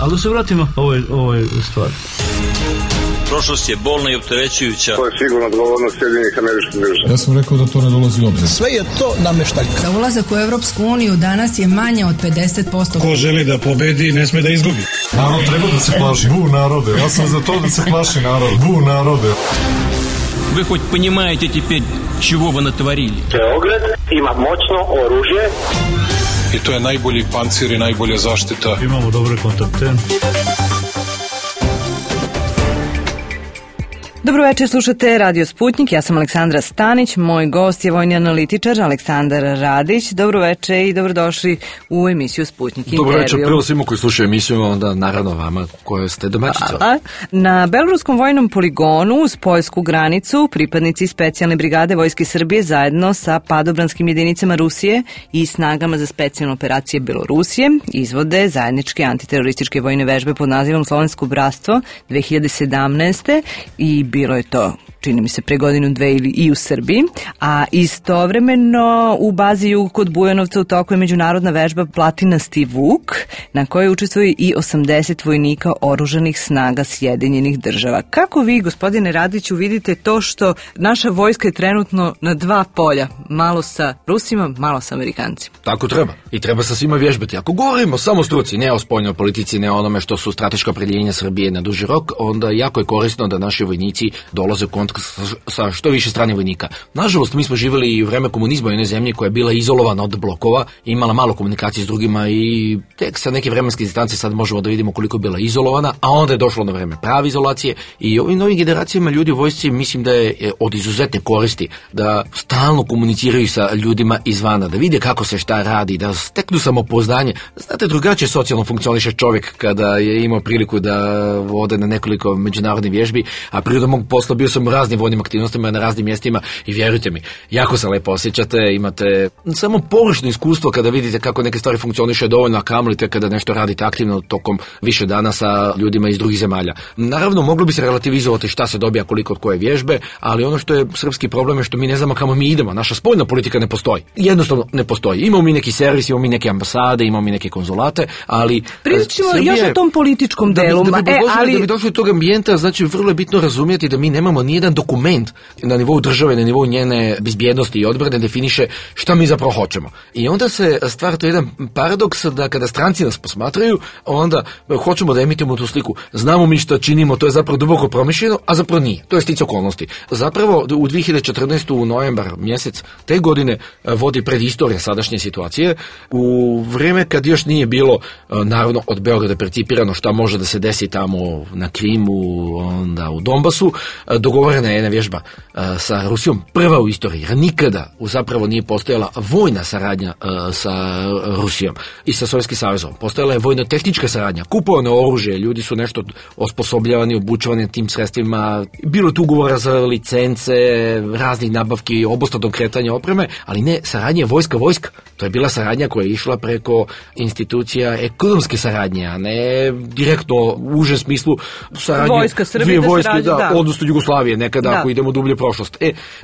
Ali da se vratimo ovoj stvari. Prošlost je bolna i opterećujuća. To je sigurno odgovornost Sjedinjenih Američkih Država. Ja sam rekao da to ne dolazi u obzir. Sve je to nameštaljka. Za ulazak u Evropsku uniju danas je manje od 50%. Ko želi da pobedi, ne sme da izgubi. Narod treba da se plaši. Narode. Ja sam za to da se plaši narod. Narode. Вы хоть понимаете теперь, чего вы натворили? Beograd ima moćno oružje. I to je najbolji pancir i najbolja zaštita. Imamo dobre kontakte. Dobro večer, slušate Radio Sputnik, ja sam Aleksandra Stanić, moj gost je vojni analitičar Aleksandar Radić. Dobro večer i dobrodošli u emisiju Sputnik Intervju. Dobro večer, prvo svima koji slušaju emisiju, onda naravno vama koje ste domaćica. Na Beloruskom vojnom poligonu uz poljsku granicu pripadnici specijalne brigade Vojske Srbije zajedno sa padobranskim jedinicama Rusije i snagama za specijalne operacije Belorusije izvode zajedničke antiterorističke vojne vežbe pod nazivom Slovensko bratstvo 2017. i bilo je to, čini mi se, pre godinu, dve i u Srbiji, a istovremeno u bazi Jug kod Bujanovca u toku je međunarodna vežba Platinasti Vuk, na kojoj učestvuju i 80 vojnika oružanih snaga Sjedinjenih Država. Kako vi, gospodine Radiću, vidite to što naša vojska je trenutno na dva polja, malo sa Rusima, malo sa Amerikancima? Tako treba. I treba sa svima vježbati. Ako govorimo samo o struci, ne o spoljnoj politici, ne o onome što su strateška opredjeljenja Srbije na duži rok, onda jako je korisno da naši vojnici dolaze u kontakt sa što više stranih vojnika. Nažalost, mi smo živjeli i u vreme komunizma u jednoj zemlji koja je bila izolovana od blokova, imala malo komunikacije s drugima i tek sa neke vremenske distancije sad možemo da vidimo koliko je bila izolovana, a onda je došlo na vreme prave izolacije i ovim novim generacijama ljudi u vojsci mislim da je od izuzetne koristi da stalno komuniciraju sa ljudima izvana, da vide kako se šta radi, da steknu samopouzdanje. Znate, drugačije socijalno funkcioniše čovjek kada je imao priliku da ode na nekoliko međunarodnih vježbi, a prirodom mog posla bio sam u raznim vojnim aktivnostima na raznim mjestima i vjerujte mi, jako se lepo osjećate, imate samo površno iskustvo kada vidite kako neke stvari funkcioniše dovoljno, a kamolite kada nešto radite aktivno tokom više dana sa ljudima iz drugih zemalja. Naravno, moglo bi se relativizovati šta se dobija koliko od koje vježbe, ali ono što je srpski problem je što mi ne znamo kamo mi idemo. Naša spoljna politika ne postoji. Jednostavno ne postoji. Imamo mi neki servis, imamo mi neke ambasade, imamo mi neke konzulate, ali pričamo još o tom političkom delu. Da bi došli do tog ambijenta, znači vrlo je bitno razumjeti da mi nemamo nijedan dokument na nivou države, na nivou njene bezbjednosti i odbrane definiše šta mi zapravo hoćemo. I onda se stvara to jedan paradoks da kada stranci nas posmatraju, onda hoćemo da emitimo tu sliku. Znamo mi šta činimo, to je zapravo duboko promišljeno, a zapravo nije. To je sticaj okolnosti. Zapravo u 2014. u novembar mjesec te godine vodi predistorija sadašnje situacije. U vrijeme kad još nije bilo naravno od Beograda percipirano šta može da se desi tamo na Krimu, onda u Donbasu, dogovorena je jedna vježba sa Rusijom, prva u istoriji, jer nikada zapravo nije postojala vojna saradnja sa Rusijom i sa Sovjetskim savezom. Postojala je vojno-tehnička saradnja, kupovano oružje, ljudi su nešto osposobljavani, obučavani tim sredstvima, bilo je tu ugovora za licence, raznih nabavki, obostranog kretanja opreme, ali ne saradnja vojska. To je bila saradnja koja je išla preko institucija ekonomske saradnje, a ne direktno u užem smislu saradnje vojska Srbije, odnosno Jugoslavije, nekada ako idemo dublje prošlost.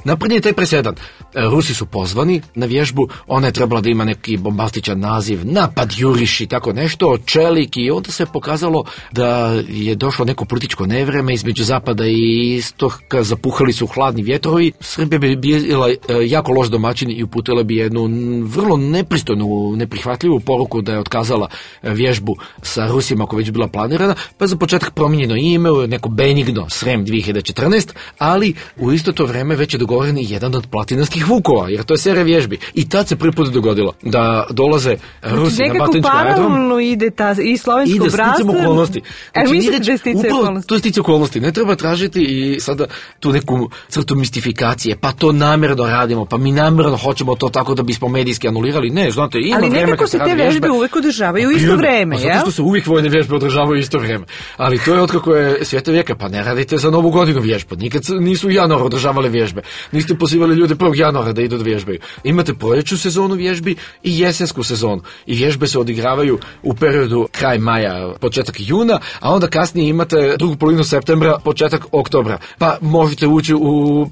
Napravljen je taj presedan. Rusi su pozvani na vježbu, ona je trebala da ima neki bombastičan naziv, napad juriš i tako nešto, čelik, i onda se pokazalo da je došlo neko političko nevreme između zapada i istoka, zapuhali su hladni vjetrovi. Srbija bi bila jako loš domaćin i uputila bi jednu vrlo nepristojnu, neprihvatljivu poruku da je otkazala vježbu sa Rusima koja već bila planirana, pa za početak promijenjeno ime, neko benigno Srem 2014, ali u isto to vrijeme već je dogovoren i jedan od platinastih vukova, jer to je serija vježbi. I tad se prvi put dogodilo da dolaze Rusi na Batajnički aerodrom. Paralelno ide i slovensko bratstvo. Okolnosti. Mislite da je sticaj okolnosti? To je sticaj okolnosti. Ne treba tražiti i sada tu neku crtu mistifikacije, pa to namjerno radimo, pa mi namjerno hoćemo to tako da bismo medijski anulirali. Ne, znate, ima ali vreme kad se radi vježbe. Ali nekako se te vježbe uvek održavaju isto vreme, jel? Zato što se uvijek vojne vježbe održavaju isto vreme. Ali to je otkako je svijeta vijeka, pa ne radite za Novu Novu godinu vježba. Nikad nisu u januaru održavali vježbe. Niste pozivali ljude 1. januara da idu da vježbaju. Imate proljeću sezonu vježbi i jesensku sezonu. I vježbe se odigravaju u periodu kraj maja, početak juna, a onda kasnije imate drugu polovinu septembra, početak oktobra. Pa možete ući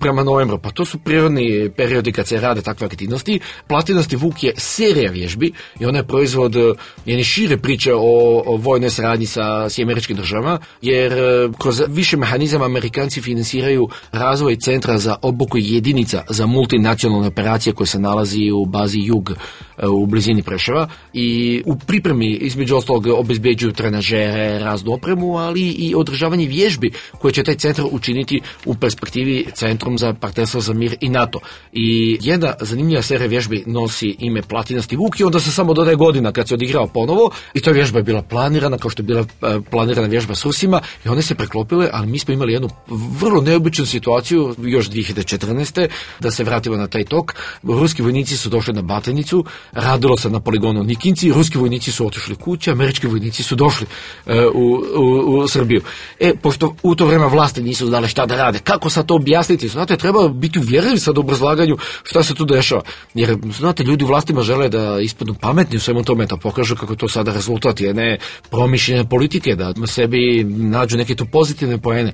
prema novembru. Pa to su prirodni periodi kad se rade takve aktivnosti. Platinasti vuk je serija vježbi i ona je proizvod jedne šire priče o vojnoj saradnji sa američkim državama, jer kroz više mehanizama Amerikanci finansiraju razvoj centra za obuku jedinica za multinacionalne operacije koje se nalazi u bazi Jug u blizini Preševa i u pripremi između ostalog obezbeđuju trenažere, raznu opremu, ali i održavanje vježbi koje će taj centar učiniti u perspektivi Centrum za partnerstvo za mir i NATO. I jedna zanimljiva serija vježbi nosi ime Platinasti vuk i onda se samo dodaje godina kad se odigrao ponovo i ta vježba je bila planirana kao što je bila planirana vježba s Rusima i one se preklopile, ali mi smo imali jednu vrlo neobičnu situaciju još 2014. da se vratimo na taj tok. Ruski vojnici su došli na Batajnicu, radilo se na poligonu Nikinci, ruski vojnici su otišli kuće, američki vojnici su došli u Srbiju. Pošto u to vreme vlasti nisu znali šta da rade, kako sad to objasniti? Znate, treba biti uvjerljiv sad u obrazlaganju šta se tu dešava. Jer, znate, ljudi u vlastima žele da ispadnu pametni u svemu tome, da pokažu kako to sada rezultat jedne promišljene politike, da sebi nađu neke tu pozitivne poene.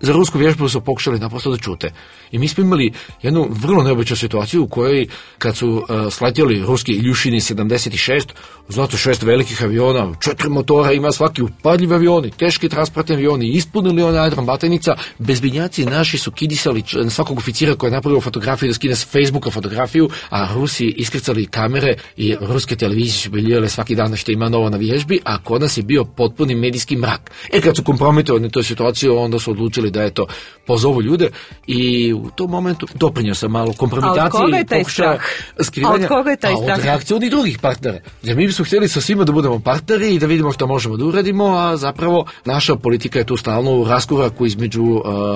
Za rusku vježbu su pokušali naprosto da čute. I mi smo imali jednu vrlo neobičnu situaciju u kojoj, kad su sletjeli ruski Iljušini 76, znate, 6 velikih aviona, 4 motora, ima svaki upadljivi avioni, teški transportni avioni, ispunili onaj aerodrom Batajnica, bezbinjaci naši su kidisali na svakog oficira koji je napravio fotografiju da skine s Facebooka fotografiju, a Rusi iskrcali kamere i ruske televizije su biljele svaki dan što ima novo na vježbi, a kod nas je bio potpuni medijski mrak. Kad su kompromitovani toj situaciji, onda su odlučili da je to pozovu ljude i u tom momentu doprinio sam malo kompromitaciji i pokušaja skrivanja. Od koga je taj strah? Od reakcije od drugih partnera. Jer mi bismo htjeli sa svima da budemo partneri i da vidimo što možemo da uradimo, a zapravo naša politika je tu stalno u raskoraku između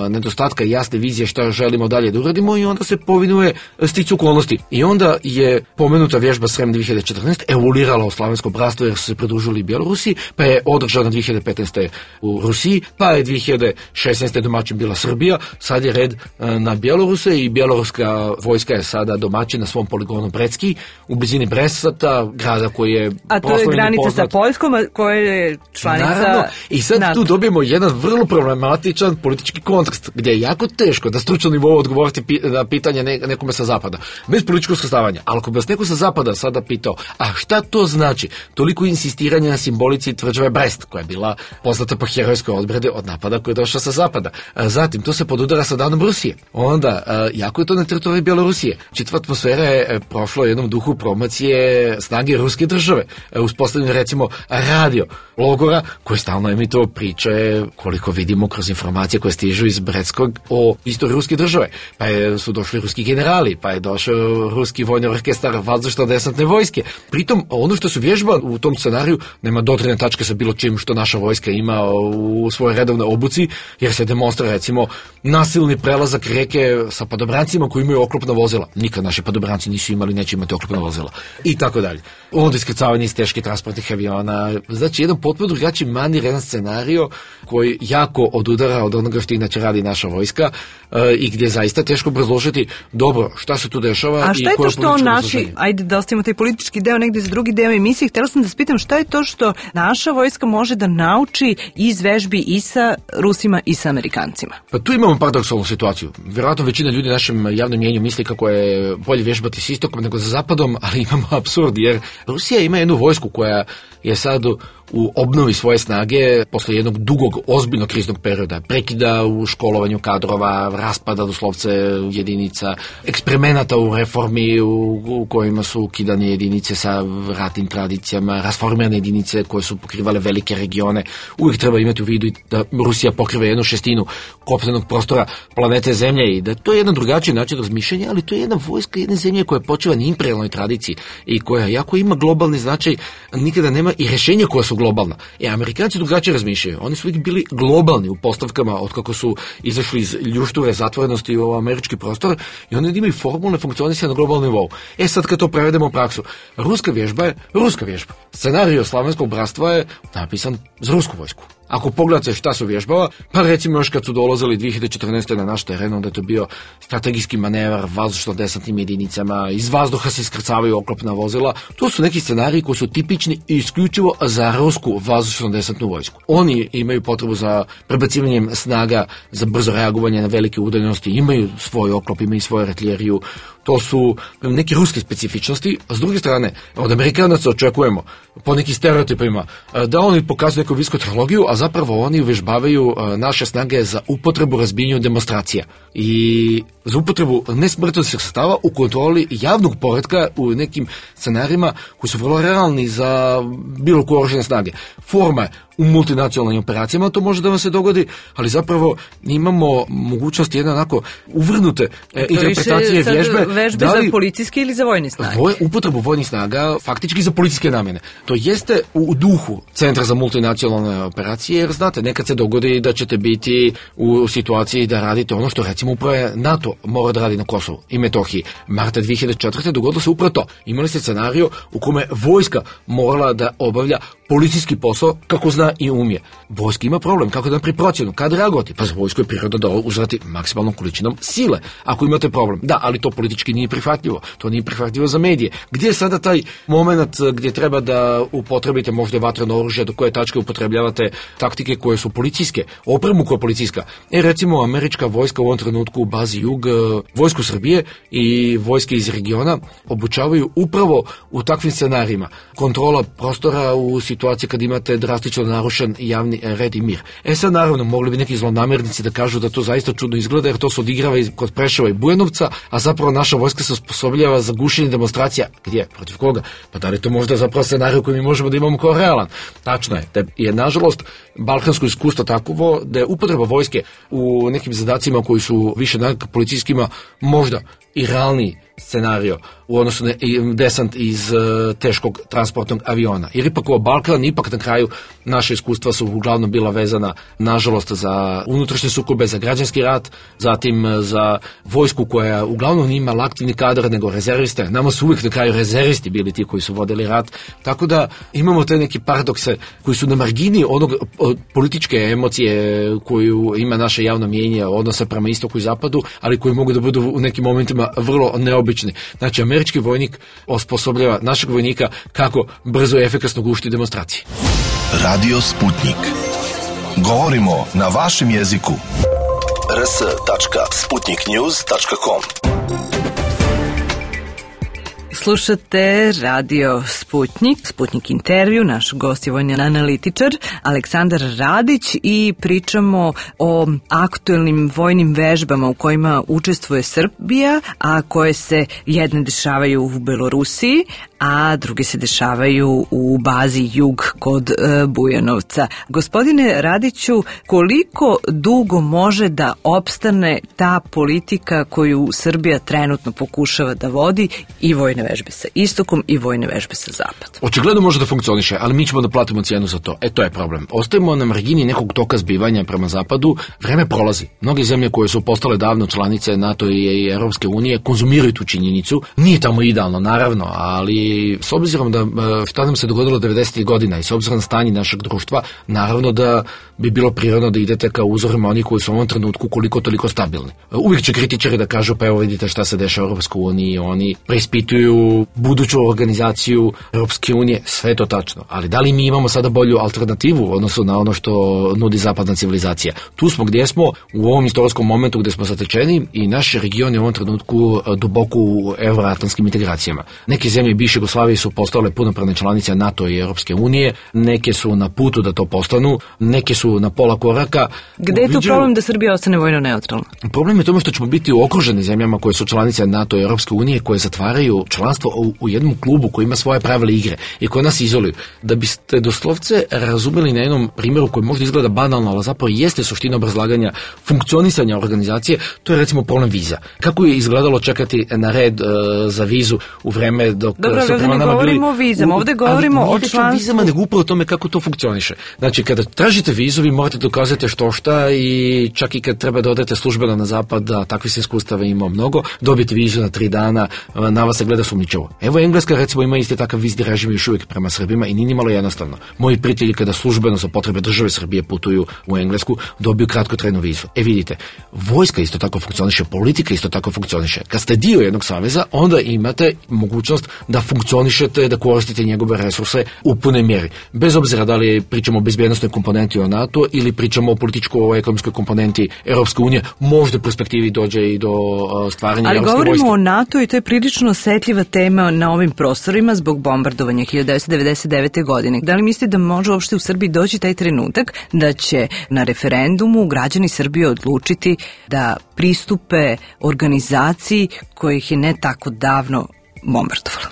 nedostatka jasne vizije šta želimo dalje da uradimo i onda se povinuje sticu okolnosti. I onda je pomenuta vježba Srem 2014 evoluirala u Slavenskom bratstvu jer su se pridružili Bjelorusi, pa je održana 2015. u Rusiji, pa je 2016. domaćin bila Srbija, sad je red na Bjeloruse i bjeloruska vojska je sada domaćin na svom poligonu Brecki u blizini Bresata, grada koji je a to je granica sa Poljskom koja je članica. Naravno, i sad NATO. Tu dobijemo jedan vrlo problematičan politički kontekst gdje je jako teško da stručno nivou odgovoriti na pitanje nekome sa zapada bez političkog sastavanja, ali ako bi vas neko sa zapada sada pitao, a šta to znači toliko insistiranje na simbolici tvrđave Brest koja je bila poznata po herojskoj odbrani od napada koji je došao sa zapada. Zatim to se podudara sa danom Rusije. Onda jako je to na teritoriji Bjelorusije. Čitava atmosfera je prošla u jednom duhu promocije snage ruske države. Uspostavljeno recimo radio logora koji stalno emituje priče koliko vidimo kroz informacije koje stižu iz Bretskog o istoriji ruske države. Pa su došli ruski generali, pa je došao ruski vojni orkestar vazdušno-desantne vojske. Pritom ono što su vježba u tom scenariju nema dodirne tačke sa bilo čim što naša vojska ima u svojoj redovnoj obuci, jer se demonstrira recimo nasilni prelazak reke sa padobrancima koji imaju oklopna vozila. Nikad naši padobranci nisu imali, neće imati oklopna vozila. I tako dalje. Onda iskrcavanje iz teških transportnih aviona. Znači jedan potpuno drugačiji manir, jedan scenario koji jako odudara od onoga što inače radi naša vojska i gdje je zaista teško obrazložiti dobro šta se tu dešava. A šta je to što naši, ajde da ostavimo taj politički deo negdje za drugi deo emisije, htjela sam da spitam šta je to što naša vojska može da nauči iz vežbi i sa Rusima i sa Amerikancima? Pa tu imamo paradoksalnu situaciju. Vjerojatno većina ljudi našem javnom mjenju misli kako je bolje vježbati s istokom nego za zapadom, ali imamo apsurd jer Rusija ima jednu vojsku koja je sad u obnovi svoje snage posle jednog dugog, ozbiljnog kriznog perioda, prekida u školovanju kadrova, raspada doslovce jedinica, eksperimenata u reformi u kojima su ukidane jedinice sa ratnim tradicijama, rasformirane jedinice koje su pokrivale velike regione. Uvijek treba imati u vidu da Rusija pokriva 1/6 kopnenog prostora planete Zemlje i da to je jedan drugačiji način razmišljanja, ali to je jedna vojska jedne zemlje koja počiva na imperijalnoj tradiciji i koja jako ima globalni značaj, nikada nema i rješenja koja su globalna. Amerikanci drugačije razmišljaju. Oni su uvijek bili globalni u postavkama od kako su izašli iz ljušture zatvorenosti u američki prostor i oni imaju formulne funkcionisanje na globalnom nivou. Sad kad to prevedemo u praksu, ruska vježba je ruska vježba. Scenario Slavenskog bratstva je napisan za rusku vojsku. Ako pogledate šta su vježbava, pa recimo još kad su dolazili 2014. na naš teren, onda je to bio strategijski manevar vazdušno-desantnim jedinicama, iz vazduha se iskrcavaju oklopna vozila. To su neki scenariji koji su tipični i isključivo za rusku vazdušno-desantnu vojsku. Oni imaju potrebu za prebacivanjem snaga za brzo reagovanje na velike udaljenosti, imaju svoj oklop, imaju svoju artiljeriju. To su neke ruske specifičnosti, a s druge strane, od Amerikanaca očekujemo, po nekim stereotipima, da oni pokazuju neku visoku tehnologiju, a zapravo oni uvežbavaju naše snage za upotrebu razbijanju demonstracija i za upotrebu nesmrtonosnih sredstava u kontroli javnog poretka u nekim scenarijima koji su vrlo realni za bilo koje oružane snage. Forma je u multinacionalnim operacijama, to može da vam se dogodi, ali zapravo imamo mogućnost jedne onako uvrnute interpretacije vežbe za policijske ili za vojne snage? Upotrebu vojnih snaga faktički za policijske namjene. To jeste u duhu Centra za multinacionalne operacije, jer znate, nekad se dogodi da ćete biti u situaciji da radite ono što recimo upravo NATO mora da radi na Kosovu i Metohiji. Marta 2004. dogodilo se upravo to. Imali ste scenariju u kome vojska morala da obavlja policijski posao kako zna i umije. Vojska ima problem, kako da napravi procjenu, kad reagovati? Pa za vojsku je prirodno da uzvrati maksimalnom količinom sile, ako imate problem. Da, ali to politički nije prihvatljivo. To nije prihvatljivo za medije. Gdje je sada taj moment gdje treba da upotrebite možda vatreno oružje, do koje tačke upotrebljavate taktike koje su policijske, opremu koja je policijska? Recimo, američka vojska u ovom trenutku u bazi Jug, vojsku Srbije i vojske iz regiona obučavaju upravo u takvim scenarijima. Kontrola prostora u situaciji kad imate drastično narušen javni red i mir. Sad naravno mogli bi neki zlonamernici da kažu da to zaista čudno izgleda, jer to se odigrava kod Preševa i Bujanovca, a zapravo naša vojska se osposobljava za gušenje demonstracija. Gdje? Protiv koga? Pa da li to možda zapravo scenarij koji mi možemo da imamo kao realan? Tačno je. Da je nažalost balkansko iskustvo takovo da je upotreba vojske u nekim zadacima koji su više policijskima možda i realniji scenario u odnosu na desant iz teškog transportnog aviona. Jer ipak ovo Balkan, ipak na kraju naše iskustva su uglavnom bila vezana, nažalost, za unutrašnje sukobe, za građanski rat, zatim za vojsku koja uglavnom nije imala aktivni kadar nego rezerviste. Nama su uvijek na kraju rezervisti bili ti koji su vodili rat. Tako da imamo te neki paradokse koji su na margini onog političke emocije koju ima naše javno mnijenje, odnose prema istoku i zapadu, ali koji mogu da budu u nekim momentima vrlo neobični. Znači, američki vojnik osposobljava našeg vojnika kako brzo i efikasno gušiti demonstracije. Radio Sputnik. Govorimo na vašem jeziku. rs.sputniknews.com. Slušate Radio Sputnik, Sputnik intervju, naš gost je vojni analitičar Aleksandar Radić i pričamo o aktuelnim vojnim vežbama u kojima učestvuje Srbija, a koje se jedne dešavaju u Belorusiji, a druge se dešavaju u bazi Jug kod Bujanovca. Gospodine Radiću, koliko dugo može da opstane ta politika koju Srbija trenutno pokušava da vodi i vojne vežbe sa istokom i vojne vežbe sa zapadom? Očigledno može da funkcioniše, ali mi ćemo da platimo cijenu za to. To je problem. Ostajemo na margini nekog toka zbivanja prema zapadu, vreme prolazi. Mnoge zemlje koje su postale davno članice NATO i Europske unije konzumiraju tu činjenicu. Nije tamo idealno, naravno, ali s obzirom da šta nam se dogodilo 90. godina i s obzirom na stanje našeg društva, naravno da bi bilo prirodno da idete ka uzorima oni koji su u ovom trenutku koliko toliko stabilni. Uvijek će kritičari da kažu, pa evo vidite šta se dešava u Europskoj uniji, oni preispituju buduću organizaciju Europske unije, sve to tačno. Ali da li mi imamo sada bolju alternativu u odnosu na ono što nudi zapadna civilizacija? Tu smo gdje smo, u ovom istorijskom momentu gdje smo zatečeni i naš region je u ovom trenutku duboko u euroatlantskim integracijama. Neke zemlje bivše Jugoslavije su postale punopravne članice NATO i Europske unije, neke su na putu da to postanu, neke su na pola koraka. Gde je tu problem da Srbija ostane vojno neutralna? Problem je tome što ćemo biti okruženi zemljama koje su članice NATO i Europske unije, koje zatvaraju članstvo u jednom klubu koji ima svoje pravila igre i koje nas izoluju. Da biste doslovce razumeli na jednom primjeru koji možda izgleda banalno, ali zapravo jeste suština obrazlaganja funkcionisanja organizacije, to je recimo problem viza. Kako je izgledalo čekati na red za vizu u vreme dok ali ovdje ne govorimo o vizama, ovdje govorimo o članstvu. Vizama, nego upravo o tome kako to funkcioniše. Znači, kada tražite vizu, vi morate dokazati što šta i čak i kad treba da odete službeno na zapad, da takvi se iskustava ima mnogo, dobijete vizu na 3 dana, na vas se gleda sumnjičavo. Evo Engleska, recimo, ima isti takav vizni režim još uvijek prema Srbima i nije nimalo jednostavno. Moji prijatelji kada službeno za potrebe države Srbije putuju u Englesku, dobiju kratkotrajnu vizu. Vidite, vojska isto tako funkcioniše, politika isto tako funkcioniše. Kad ste dio jednog saveza, onda imate mogućnost da funkcionišete, da koristite njegove resurse u punoj mjeri. Bez obzira da li pričamo o bezbjednostnoj komponenti o NATO ili pričamo o političko-ekonomskoj komponenti Europske unije, možda u perspektivi dođe i do stvaranja ali europske vojske. Ali govorimo o NATO i to je prilično osetljiva tema na ovim prostorima zbog bombardovanja 1999. godine. Da li mislite da može uopšte u Srbiji doći taj trenutak da će na referendumu građani Srbije odlučiti da pristupe organizaciji kojih je ne tako davno bombardovala?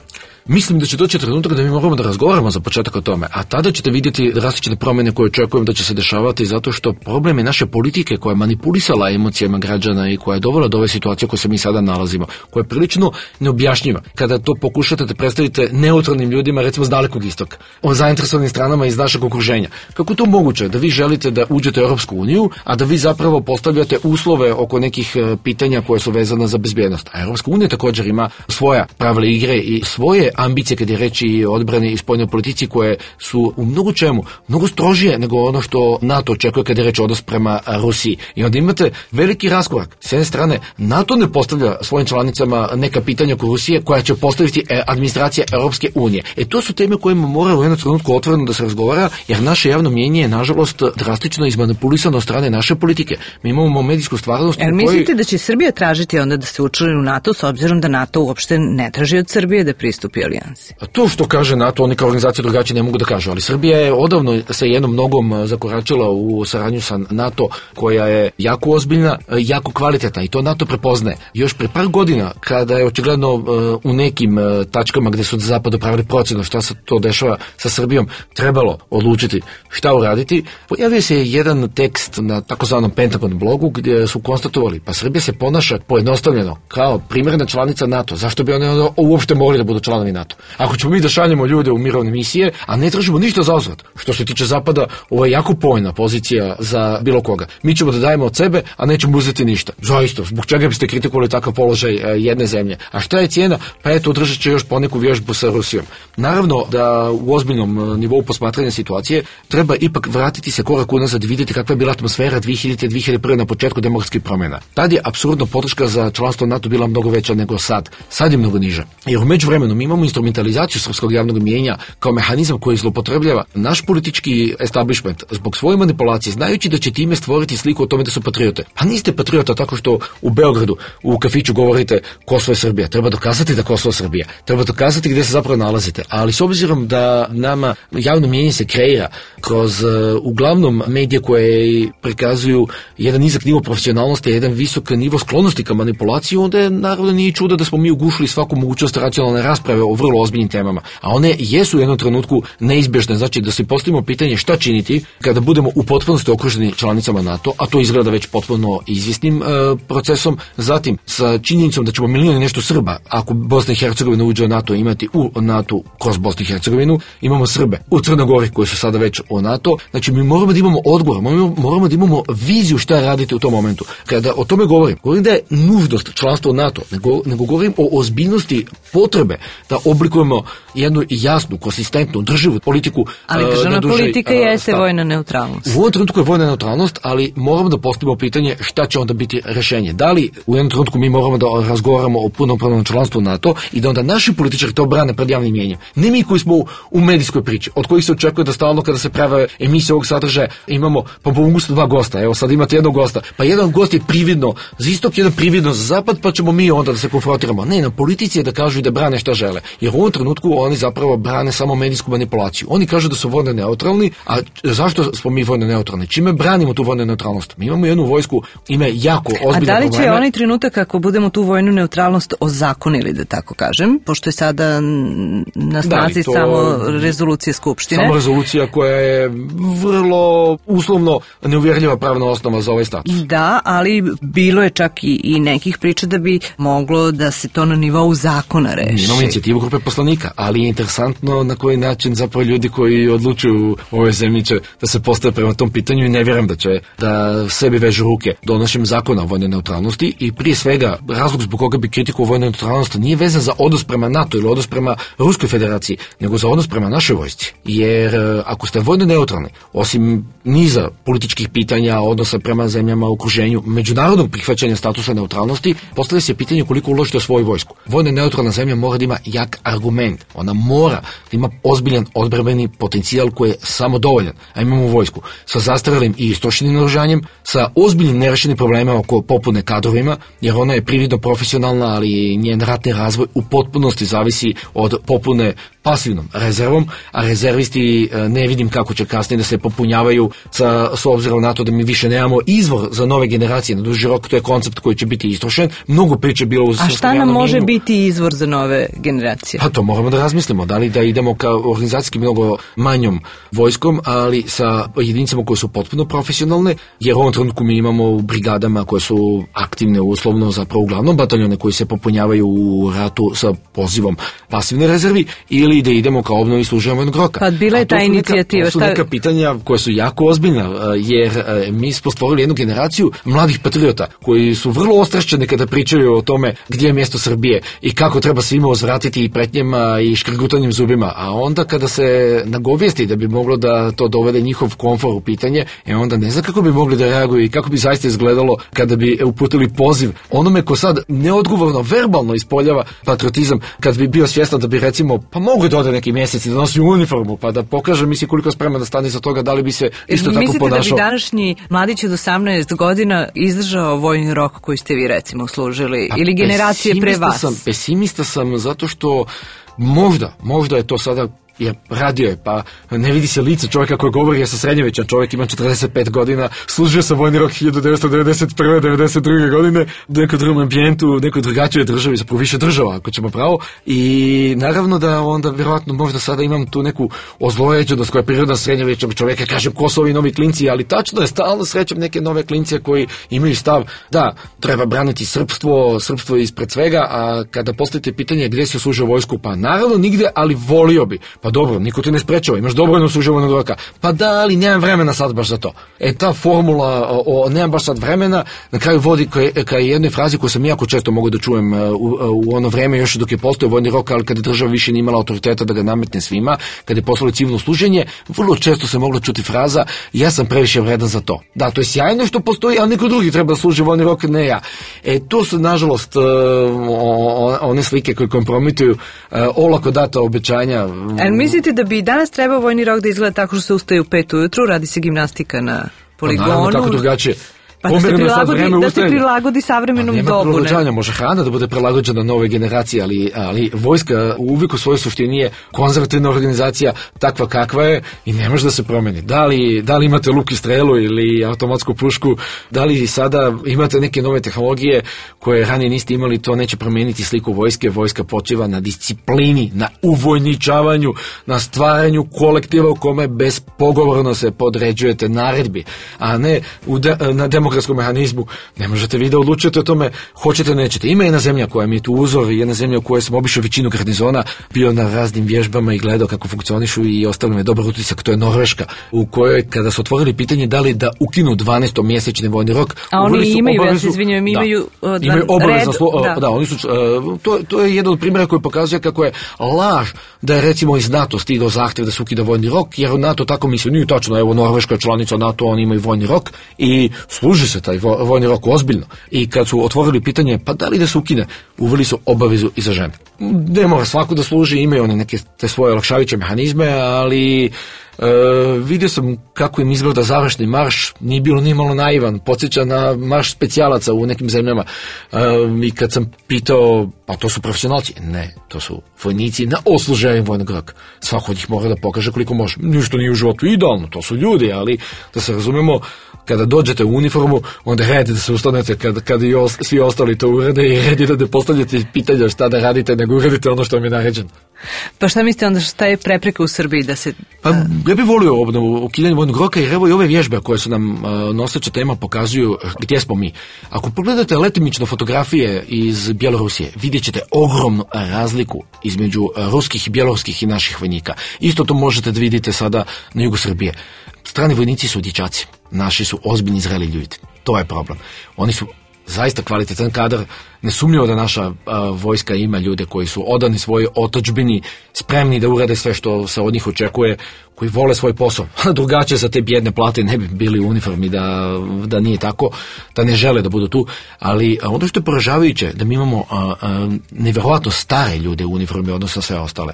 Mislim da će doći trenutak da mi moramo da razgovaramo za početak o tome, a tada ćete vidjeti različite promjene koje očekujem da će se dešavati, zato što problem je naše politike koja je manipulisala emocijama građana i koja je dovela do ove situacije u kojoj se mi sada nalazimo, koja je prilično neobjašnjiva. Kada to pokušate da predstavite neutralnim ljudima, recimo s Dalekog istoka, o zainteresovanim stranama iz našeg okruženja. Kako to moguće da vi želite da uđete u Europsku uniju, a da vi zapravo postavljate uslove oko nekih pitanja koje su vezane za bezbjednost? A Europska unija također ima svoja pravila igre i svoje ambicije kad je reći i odbrani i spoljnoj politici koje su u mnogo čemu, mnogo strožije nego ono što NATO očekuje kad je reći odnos prema Rusiji. I onda imate veliki raskorak. S jedne strane, NATO ne postavlja svojim članicama neka pitanja oko Rusije koja će postaviti administracija Europske unije. To su teme kojima mora u jednom trenutku otvoreno da se razgovara, jer naše javno mnijenje je nažalost drastično izmanipulisano od strane naše politike. Mi imamo medijsku stvarnost. Jel mislite da će Srbija tražiti onda da se učlani u NATO s obzirom da NATO uopšte ne traži od Srbije da pristupi alijansi? To što kaže NATO, oni kao organizacija drugačije ne mogu da kažu, ali Srbija je odavno sa jednom nogom zakoračila u saradnju sa NATO, koja je jako ozbiljna, jako kvalitetna i to NATO prepoznaje. Još pre par godina, kada je očigledno u nekim tačkama gde su od zapada pravili procenu šta se to dešava sa Srbijom, trebalo odlučiti šta uraditi, pojavio se jedan tekst na takozvanom Pentagon blogu gdje su konstatovali, pa Srbija se ponaša pojednostavljeno kao primjerna članica NATO. Zašto bi oni uopšte mogli da budu članovi NATO? Ako ćemo mi da šaljemo ljude u mirovne misije, a ne tražimo ništa za uzvrat. Što se tiče zapada, ovo je jako povoljna pozicija za bilo koga. Mi ćemo da dajemo od sebe, a nećemo uzeti ništa. Zaista, zbog čega biste kritikovali takav položaj jedne zemlje? A šta je cijena? Pa eto, održat će još poneku vježbu sa Rusijom. Naravno da u ozbiljnom nivou posmatranja situacije treba ipak vratiti se korak unazad i vidjeti kakva je bila atmosfera 2000-2001 na početku demokratskih promjena. Tad je apsurdno podrška za članstvo NATO bila mnogo veća nego sad. Sad je mnogo niža. Jer u međuvremenu mi imamo instrumentalizaciju srpskog javnog mijenja kao mehanizam koji zloupotrebljava naš politički establishment zbog svoje manipulacije, znajući da će time stvoriti sliku o tome da su patriote. Pa niste patriota tako što u Beogradu u kafiću govorite Kosovo je Srbija. Treba dokazati da Kosovo je Srbija. Treba dokazati gdje se zapravo nalazite. Ali s obzirom da nama javno mijenje se kreira kroz uglavnom medije koje prikazuju jedan nizak nivo profesionalnosti, jedan visok nivo sklonosti ka manipulaciji, onda je naravno nije čudo da smo mi ugušili svaku mogućnost racionalne rasprave o vrlo ozbiljnim temama. A one jesu u jednom trenutku neizbježne, znači da se postavimo pitanje šta činiti kada budemo u potpunosti okruženi članicama NATO, a to izgleda već potpuno izvjesnim procesom, zatim sa činjenicom da ćemo milijuni nešto Srba, ako Bosna i Hercegovina uđe u NATO, imati u NATO kroz Bosnu i Hercegovinu, imamo Srbe u Crnoj Gori koji su sada već u NATO, znači mi moramo da imamo odgovor, moramo da imamo viziju šta raditi u tom momentu. Kada o tome govorim da je nužnost članstva u NATO, nego govorim o ozbiljnosti potrebe da oblikujemo jednu jasnu, konsistentnu, drživu politiku. Ali državna politika jeste vojna neutralnost. U ovom trenutku je vojna neutralnost, ali moramo da postavimo pitanje šta će onda biti rješenje. Da li u jednom trenutku mi moramo da razgovaramo o punopravnom članstvu NATO i da onda naši političari to brane pred javnim mnijenjem. Ne mi koji smo u medijskoj priči, od kojih se očekuje da stalno kada se prave emisije ovog sadržaja imamo po mogućnosti 2 gosta. Evo sad imate jednog gosta. Pa jedan gost je prividno za istok, jedan prividno za zapad, pa ćemo mi onda da se konfrontiramo. Ne, na politici je da kažu i da brane šta žele. Jer u ovom trenutku oni zapravo brane samo medijsku manipulaciju. Oni kažu da su vojno neutralni, a zašto smo mi vojno neutralni? Čime branimo tu vojnu neutralnost? Mi imamo jednu vojsku, ima jako ozbiljne probleme. A da li će onaj trenutak ako budemo tu vojnu neutralnost ozakonili, da tako kažem, pošto je sada na snazi samo rezolucija Skupštine? Samo rezolucija koja je vrlo uslovno neuvjerljiva pravna osnova za ovaj status. Da, ali bilo je čak i nekih priča da bi moglo da se to na nivou zakona reši. Imamo inicijativu u grupe poslanika, ali je interesantno na koji način zapravo ljudi koji odlučuju u ovoj zemlji će da se postave prema tom pitanju i ne vjerujem da će da sebi vežu ruke donošenjem zakona o vojnoj neutralnosti i prije svega razlog zbog koga bi kritikovao vojnu neutralnost nije vezan za odnos prema NATO ili odnos prema Ruskoj federaciji, nego za odnos prema našoj vojsci. Jer ako ste vojno neutralni, osim niza političkih pitanja, odnosa prema zemljama u okruženju, međunarodnog prihvaćanja statusa neutralnosti, postavlja se pitanje koliko uložite u svoju vojsku. Vojna neutralna zemlja mora da ima jak argument. Ona mora da ima ozbiljan odbrambeni potencijal koji je samo dovoljan. A imamo vojsku sa zastarelim i istrošenim naoružanjem, sa ozbiljnim nerešenim problemima oko popune kadrovima, jer ona je prividno profesionalna, ali njen ratni razvoj u potpunosti zavisi od popune pasivnom rezervom, a rezervisti ne vidim kako će kasnije da se popunjavaju s obzirom na to da mi više nemamo izvor za nove generacije na duži rok, to je koncept koji će biti istrošen. Mnogo priče bilo uz... A šta nam može biti izvor za nove generacije? Pa to moramo da razmislimo, da li da idemo ka organizacijski mnogo manjom vojskom, ali sa jedinicama koje su potpuno profesionalne, jer u ovom trenutku mi imamo u brigadama koje su aktivne uslovno zapravo uglavnom bataljone koji se popunjavaju u ratu sa pozivom pasivne rezervi, ili da idemo kao obnovi služenja vojnog roka. Pa bila je ta inicijativa. To su neka pitanja koja su jako ozbiljna, jer mi smo stvorili jednu generaciju mladih patriota koji su vrlo ostrašćeni kada pričaju o tome gdje je mjesto Srbije i kako treba svima uzvratiti i pretnjama i škrgutanjem zubima, a onda kada se nagovijesti da bi moglo da to dovede njihov komfor u pitanje, onda ne zna kako bi mogli da reaguju i kako bi zaista izgledalo kada bi uputili poziv onome ko sad neodgovorno, verbalno ispoljava patriotizam, kad bi bio svjestan da bi recimo, pa mogu da ode neki mjesec i da nosi uniformu, pa da pokaže misli koliko spreman da stane za toga, da li bi se isto tako ponašao. Mislite da bi današnji mladić od 18 godina izdržao vojni rok koji ste vi recimo služili, ili generacije pre vas? Pesimista sam zato što možda je to sada, jer radio je, pa ne vidi se lice čovjeka koji govori, ja sam srednjovečan čovjek, imam 45 godina, služio sam vojni rok 1991. 92. godine u nekom drugom ambijentu, u nekoj drugačijoj državi, zapravo više država, ako ćemo pravo, i naravno da onda vjerojatno možda sada imam tu neku ozlojeđenost koja je prirodna srednjovečnog čovjeka, kažem ko su ovi novi klinci, ali tačno je, stalno srećem neke nove klince koji imaju stav da treba braniti srpstvo ispred svega, a kada postavite pitanje gdje se služio vojsku, pa naravno nigdje, ali volio bi. Pa dobro, niko te ne sprečava, imaš dobrovoljno služenje vojnog roka. Pa da, ali nemam vremena sad baš za to. Ta formula o nemam baš sad vremena na kraju vodi ka jednoj frazi koju sam jako često mogu da čujem u ono vreme još dok je postojao vojni rok, ali kada država više nije imala autoriteta da ga nametne svima, kada je poslalo civilno služenje, vrlo često se mogla čuti fraza ja sam previše vredan za to. Da, to je sjajno što postoji, ali neko drugi treba da služi vojni rok, ne ja. To su nažalost one slike koje kompromituju olako data obećanja. Mislite da bi danas trebao vojni rok da izgleda tako što se ustaje u 5 ujutru, radi se gimnastika na poligonu? Naravno, kako drugačije. Pa da se prilagodi savremenom dobu. Nema prilagođanja, može hrana da bude prilagođena nove generacije, ali vojska uvijek u svojoj suštini je konzervativna organizacija takva kakva je i ne može da se promeni. Da li imate luk i strelu ili automatsku pušku, da li sada imate neke nove tehnologije koje ranije niste imali, to neće promijeniti sliku vojske. Vojska počiva na disciplini, na uvojničavanju, na stvaranju kolektiva u kome bespogovorno se podređujete naredbi, a ne na demokratskom mehanizmu. Ne možete vi da odlučujete o tome hoćete, nećete. Ima jedna zemlja koja mi je tu uzor, jedna zemlja u kojoj sam obišao većinu garnizona, bio na raznim vježbama i gledao kako funkcionišu i ostavili me dobar utisak, to je Norveška, u kojoj kada su otvorili pitanje da li da ukinu 12-mjesečni vojni rok, a oni imaju, ja se izvinjam, imaju obavezno, oni su, to je jedan od primjera koji pokazuje kako je laž da je recimo iz NATO stigao zahtjev da se ukida vojni rok, jer NATO tako misli, nije tačno, evo Norveška je članica NATO, oni imaju vojni rok i služi se taj vojni rok ozbiljno. I kad su otvorili pitanje, pa da li da se ukine, uveli su obavezu i za žene. Ne mora svako da služi, imaju one neke te svoje olakšavajuće mehanizme, ali vidio sam kako im izgleda završni marš, nije bilo ni malo naivan, podsjeća na marš specijalaca u nekim zemljama. I kad sam pitao, pa to su profesionalci? Ne, to su vojnici na odsluženju vojnog roka. Svako od njih mora da pokaže koliko može. Ništa nije u životu idealno, to su ljudi, ali da se razumemo, kada dođete u uniformu, onda red da se ustanete kada i svi ostali to urede i red je da ne postavljate pitanja šta da radite, nego uradite ono što vam je naređeno. Pa šta mislite onda, šta je prepreka u Srbiji da se... Pa Ja bih volio obnovu ukidanje vojnog roka, jer evo i ove vježbe koje su nam noseća tema pokazuju gdje smo mi. Ako pogledate letimično fotografije iz Bjelorusije, vidjet ćete ogromnu razliku između ruskih i bjeloruskih i naših vojnika. Isto to možete da vidite sada na jugu Srbije. Strani vojnici su dječaci, naši su ozbiljni zreli ljudi. To je problem. Oni su zaista kvalitetan kadar, nesumnjivo da naša vojska ima ljude koji su odani svojoj otadžbini, spremni da urade sve što se od njih očekuje, koji vole svoj posao. Drugačije za te bjedne plate ne bi bili u uniformi da nije tako, da ne žele da budu tu, ali ono što je poražavajuće da mi imamo nevjerojatno stare ljude u uniformi odnosno sve ostale.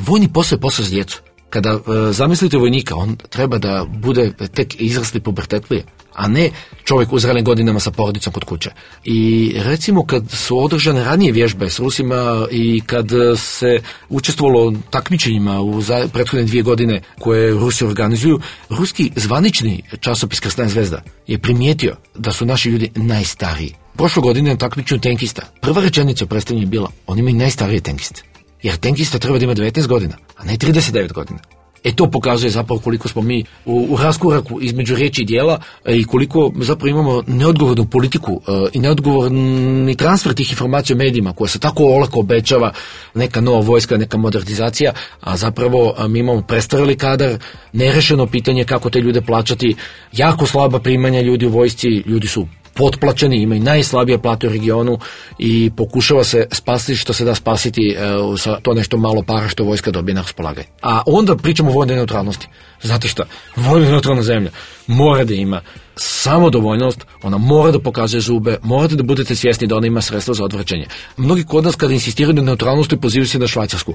Vojni posao je posao s djecu. Kada zamislite vojnika, on treba da bude tek izrasli pubertetlije, a ne čovjek u zrelim godinama sa porodicom kod kuće. I recimo kad su održane ranije vježbe s Rusima i kad se učestvovalo u takmičenjima u prethodne 2 godine koje Rusi organizuju, ruski zvanični časopis Krasna zvezda je primijetio da su naši ljudi najstariji. Prošle godine na takmičenju tenkista prva rečenica u predstavljanju je bila: oni imaju najstarije tenkiste. Jer tenkista treba da ima 19 godina, a ne 39 godina. To pokazuje zapravo koliko smo mi u raskoraku između riječi i djela i koliko zapravo imamo neodgovornu politiku i neodgovorni transfer tih informacija u medijima koja se tako olako obećava, neka nova vojska, neka modernizacija, a zapravo mi imamo prestareli kadar, nerešeno pitanje kako te ljude plaćati, jako slaba primanja ljudi u vojsci, ljudi su potplaćeni, imaju najslabije plate u regionu i pokušava se spasiti što se da spasiti sa to nešto malo para što vojska dobije na raspolaganje. A onda pričamo o vojnoj neutralnosti. Znate šta? Vojna neutralna zemlja mora da ima samodovoljnost, ona mora da pokazuje zube, morate da budete svjesni da ona ima sredstva za odvraćanje. Mnogi kod nas kada insistiraju na neutralnosti pozivaju se na Švajcarsku.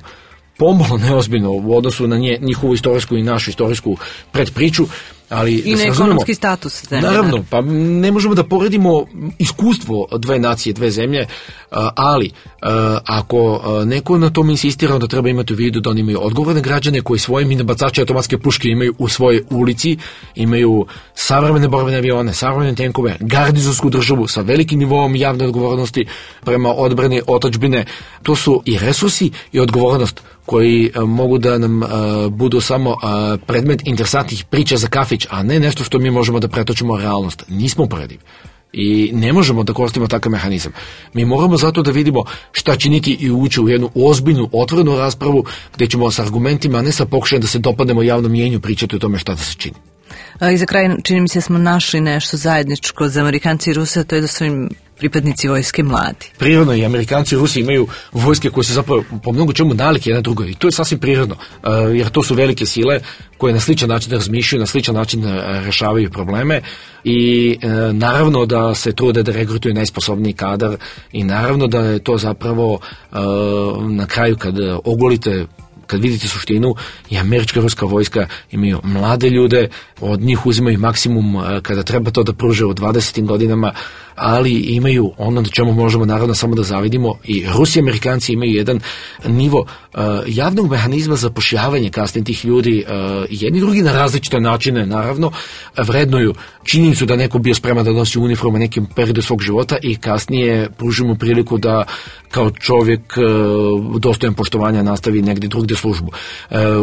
Pomalo neozbiljno u odnosu na njihovu istorijsku i našu istorijsku predpriču, ali i na ekonomski status zemlje. Naravno, pa ne možemo da poredimo iskustvo dve nacije, dve zemlje, ali ako neko na tom insistira, onda treba imati u vidu da oni imaju odgovorne građane koji svoje minobacače automatske puške imaju u svojoj ulici, imaju savremene borbene avione, savremene tenkove, garnizonsku državu sa velikim nivoom javne odgovornosti prema odbrani otadžbine. To su i resursi i odgovornost koji mogu da nam budu samo predmet interesantnih priča za kafić, a ne nešto što mi možemo da pretočimo u realnost. Nismo uporedivi. I ne možemo da koristimo takav mehanizam. Mi moramo zato da vidimo šta činiti i ući u jednu ozbiljnu, otvorenu raspravu gdje ćemo s argumentima, a ne sa pokušajem da se dopadnemo javnom mjenju, pričati o tome šta da se čini. I za kraj, čini mi se, smo našli nešto zajedničko za Amerikanci i Ruse, a to je da su im pripadnici vojske mladi. Prirodno, i Amerikanci i Rusi imaju vojske koje su zapravo po mnogo čemu nalike jedna drugoj, i to je sasvim prirodno, jer to su velike sile koje na sličan način razmišljaju, na sličan način rešavaju probleme i naravno da se trude da regrutuju najsposobniji kadar i naravno da je to zapravo na kraju kad ogolite, kad vidite suštinu, i američka i ruska vojska imaju mlade ljude, od njih uzimaju maksimum kada treba to da pruže u 20. godinama, ali imaju ono na čemu možemo naravno samo da zavidimo, i Rusi i Amerikanci imaju jedan nivo javnog mehanizma za zapošljavanje kasnije tih ljudi, jedni drugi na različite načine naravno vrednuju činjenicu da neko bio spreman da nosi uniformu nekim periodu svog života i kasnije pružimo priliku da kao čovjek dostojan poštovanja nastavi negdje drugdje službu.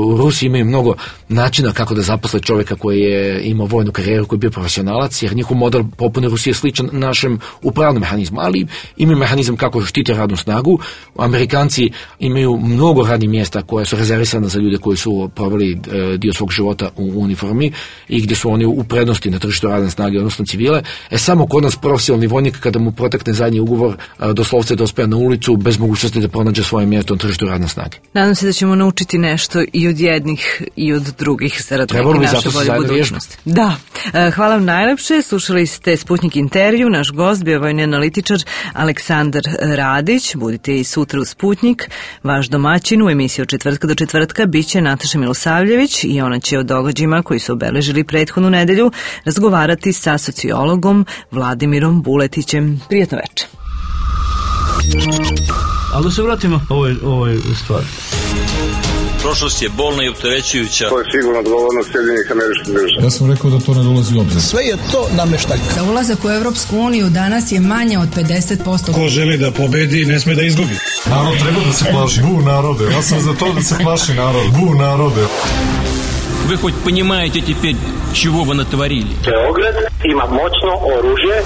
U Rusiji imaju mnogo načina kako da zaposle čovjeka koji je imao vojnu karijeru, koji je bio profesionalac, jer njihov model popune Rusije je sličan našem upravnom mehanizmu, ali imaju mehanizam kako štite radnu snagu. Amerikanci imaju mnogo radnih mjesta koje su rezervisane za ljude koji su proveli dio svog života u uniformi i gdje su oni u prednosti na tržištu radne snage, odnosno civile. Samo kod nas profesionalni vojnik, kada mu protekne zadnji ugovor, doslovce dospeja na ulicu bez mogućnosti da pronađe svoje mjesto na tržištu radne snage. Nadam se da ćemo naučiti nešto i od jednih i od drugih zarad neke naše bolje budućnosti. Da. Hvala vam najlepše. Slušali ste Sputnik intervju. Naš gost bio vojni analitičar Aleksandar Radić. Budite i sutra u Sputnik. Vaš domaćin u emisiji od četvrtka do četvrtka biće Nataša Milosavljević i ona će o događajima koji su obeležili prethodnu nedelju razgovarati sa sociologom Vladimirom Buletićem. Prijatno večer. Ali da se vratimo ovoj stvari. Prošlost je bolna i opterećujuća. To je sigurno odgovornost Sjedinjenih Američkih Država. Ja sam rekao da to ne dolazi u obzir. Sve je to nameštaljka. Za ulazak u Evropsku uniju danas je manje od 50%. Ko želi da pobedi, ne sme da izgubi. Narod treba da se plaši. Bu narode. Ja sam za to da se plaši narod. Bu narode. Вы хоть понимаете теперь, чего вы натворили? Beograd ima moćno oružje.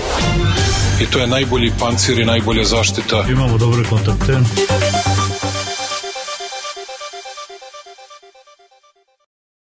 I to je najbolji pancir i najbolja zaštita. Imamo dobre kontakte.